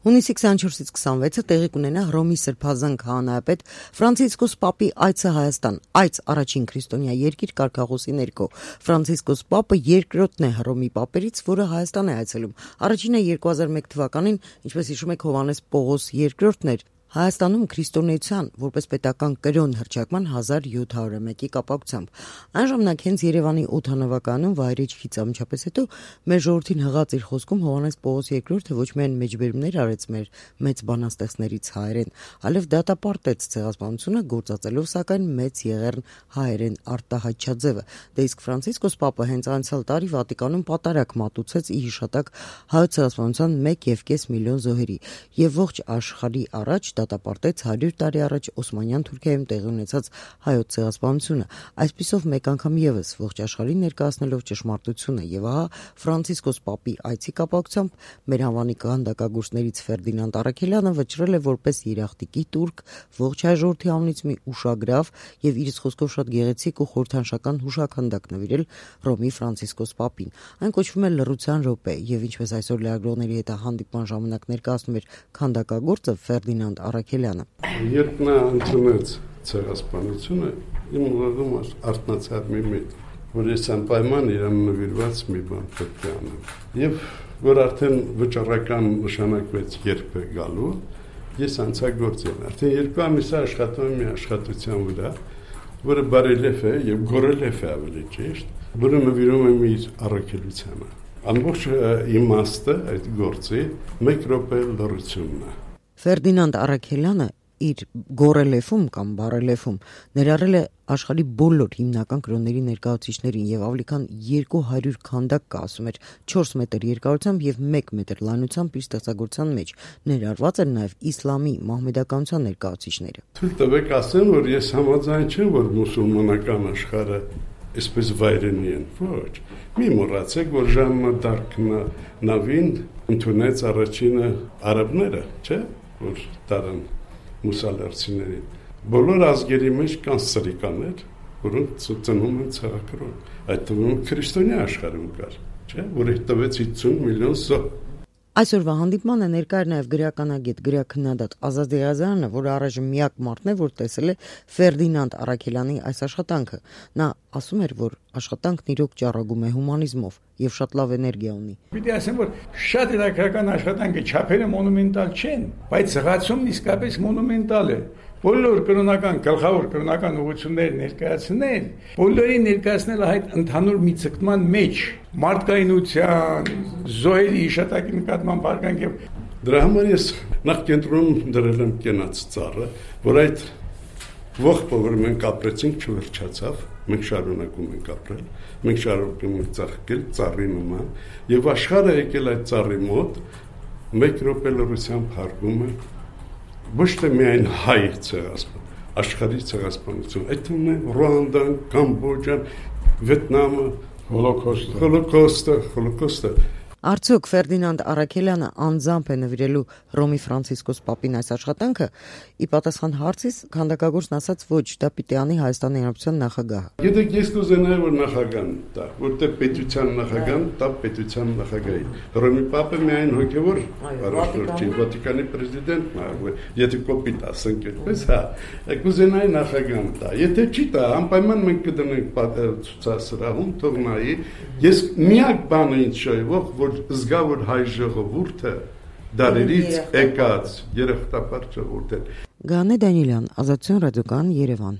Հունիսի 24-ից 26-ը տեղի կունենա Հռոմի Սրբազան քահանայապետ Ֆրանցիսկոս Պապի այցը Հայաստան, այց առաջին քրիստոնյա երկիր կարգախոսի ներքո։ Ֆրանցիսկոս Պապը երկրորդն է Հռոմի պապերից, որը Հայաստան է այցելում։ Առաջինը 2001 թվականին, ինչպես հիշում եք, Հովհաննես Պողոս II-ն էր Հայաստանում քրիստոնեության որպես պետական կրոն հռչակման 1701-ի կապակցությամբ։ Այն ժամանակ հենց Երևանի օդանավակայանում վայրեջքից անմիջապես հետո մեր ժողովրդին հղած իր խոսքում Հովհաննես Պողոս II-ը ոչ միայն մեջբերումներ արեց մեր մեծ բանաստեղծներից հայերեն, այլև դատապարտեց ցեղասպանությունը, գործածելով սակայն մեծ եղեռն հայերեն արտահայտչաձևը։ Դե իսկ Ֆրանցիսկոս Պապը հենց անցյալ տարի Վատիկանում պատարագ մատուցեց ի հիշատակ հայոց ցեղասպանության 1.5 միլիոն զոհերի եւ ողջ աշխարհի առաջ դատապարտեց 100 տարի առաջ Օսմանյան Թուրքիայում տեղի ունեցած հայոց ցեղասպանությունը, այսպիսով մեկ անգամ եւս ողջ աշխարհին ներկայացնելով ճշմարտությունը եւ ահա Ֆրանցիսկոս Պապի այցի կապակցությամբ մեր հավանի քանդակագործներից Ֆերդինանդ Առաքելյանը վճռել է որպես երախտիկի տուրք ողջ հայ ժողովրդի անունից մի ուշագրավ եւ իր խոսքով շատ գեղեցիկ ու խորհրդանշական հուշաքանդակ նվիրել Հռոմի Ֆրանցիսկոս Պապին։ Այն կոչվում է լռության րոպե եւ ինչպես այսօր լրագրողների հետ հանդիպման ժամանակ ներկայացնում էր քանդակագործը Ֆերդինանդ Առաքելյանը։ Երբ նա ընդունեց ցեղասպանությունը, իմ ուղղում արթնացավ մի միտք, որ ես անպայման իրան նվիրված մի բան պետք է անեմ։ Եվ որ արդեն վճռական նշանակվեց երբ է գալու, ես անցագործել։ Արդեն 2 ամիս աշխատում եմ մի աշխատության վրա, որը բարելև է եւ գորելև է ավելի ճիշտ, որը նվիրում եմ իր առաքելությանը։ Ամբողջ իմաստը այդ գործի 1 րոպե լռությունն է։ Ֆերդինանդ Առաքելյանը իր գորելեֆում կամ բարելեֆում ներառել է աշխարհի բոլոր հիմնական կրոնների ներկայացուցիչներին եւ ավելի քան 200 քանդակ կա, ասում էր 4 մետր երկարությամբ եւ 1 մետր լայնությամբ իր ստեղծագործության մեջ ներառված են նաեւ իսլամի մահմեդականության ներկայացուցիչները։ Թույլ տվեք ասեմ, որ ես համաձայն չեմ, որ մուսուլմանական աշխարհը այսպես վայրենի են, ոչ։ Մի մոռացեք, որ Ժաննա Դարկն նավին ընդունեց առաջինը արաբները, չէ՞, որ տարան մուսալերցիներին։ Բոլոր ազգերի մեջ կան սրիկաներ, որոնք ծնում են ցեղակրոն։ Այդ թվում քրիստոնյա աշխարհում կար, չէ՞, որը տվեց 50 միլիոն զոհ։ Այսօրվա հանդիպմանը ներկա էր նաև գրականագետ, գրաքննադատ Ազատ Եղիազարյանը, որը առայժմ միակ մարդն է, որ տեսել է Ֆերդինանդ Առաքելյանի այս աշխատանքը։ Նա ասում էր, որ աշխատանքն իրոք ճառագում է հումանիզմով եւ շատ լավ էներգիա ունի։ Պիտի ասեմ, որ շատ իրական աշխատանքը չափերը մոնումենտալ չեն, բայց զղացումն իսկապես մոնումենտալ է։ Բոլոր կրոնական, գլխավոր կրոնական ուղղությունները ներկայացնել, բոլորին ներկայացնել այդ ընդհանուր մի ցկտման մեջ, մարդկայնության, զոհերի հիշատակի նկատմամբ արգանք եւ դրա համար ես նախ կենտրոնում դրել եմ կենաց ծառը, որ այդ ողբը, որ մենք ապրեցինք, չվերջացավ, մենք շարունակում ենք ապրել, մենք շարունակում ենք ծաղկել ծառի նման եւ աշխարհը եկել այդ ծառի մոտ 1 րոպե լռությամբ հարգում է ոչ թե միայն հայ ցեղասպան, աշխարհի ցեղասպանություն, այդ թվում է Ռուանդան, Կամբոջան, Վիետնամը, Հոլոկոստը։ Արդյոք Ֆերդինանդ Առաքելյանը անձամբ է նվիրելու Հռոմի Ֆրանցիսկոս Պապին այս աշխատանքը։ Ի պատասխան հարցից քանդակագործն ասաց, ոչ, դա պիտի անի Հայաստանի Հանրապետության նախագահը։ Գիտեք, ես կուզենայի, որ նախագահան տա, որտեղ պետության նախագահան տա պետության նախագահին։ Հռոմի Պապը միայն հոգևոր առաջնորդ չի, Վատիկանի պրեզիդենտն է, եթե կոպիտ ասենք այդպես, հա, կուզենայի նախագահան տա։ Եթե չի տա, անպայման մենք կդնենք ցուցասրահում, թող նայի։ Ես միակ բանը ինձ շոյվող, որ զգա, որ հայ ժողովուրդը դարերից եկած երախտապար ժողովուրդ է։ Գանե Դանիելյան, Ազատություն ռադիոկայան, Երևան։